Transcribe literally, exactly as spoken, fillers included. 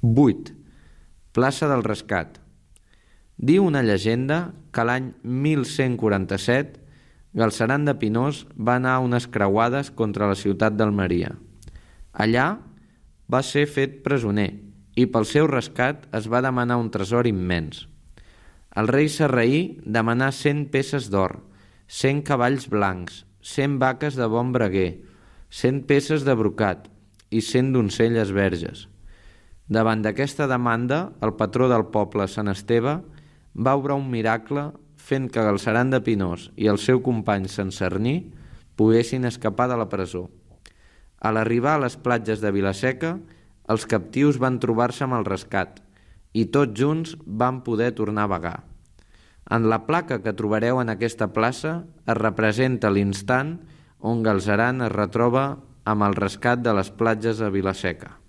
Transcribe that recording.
vuit. Plaça del Rescat. Diu una llegenda que l'any mil cent quaranta-set Galceran de Pinós va anar a unes creuades contra la ciutat d'Almeria. Allà va ser fet presoner i pel seu rescat es va demanar un tresor immens. El rei sarraí demanà cent peces d'or, cent cavalls blancs, cent vaques de bon braguer, cent peces de brocat i cent doncelles verges. Davant d'aquesta demanda, el patró del poble, Sant Esteve, va obrar un miracle fent que Galceran de Pinós i el seu company Sant Cerní poguessin escapar de la presó. A l'arribar a les platges de Vila-seca, els captius van trobar-se amb el rescat i tots junts van poder tornar a vagar. En la placa que trobareu en aquesta plaça es representa l'instant on Galceran es retroba amb el rescat de les platges de Vila-seca.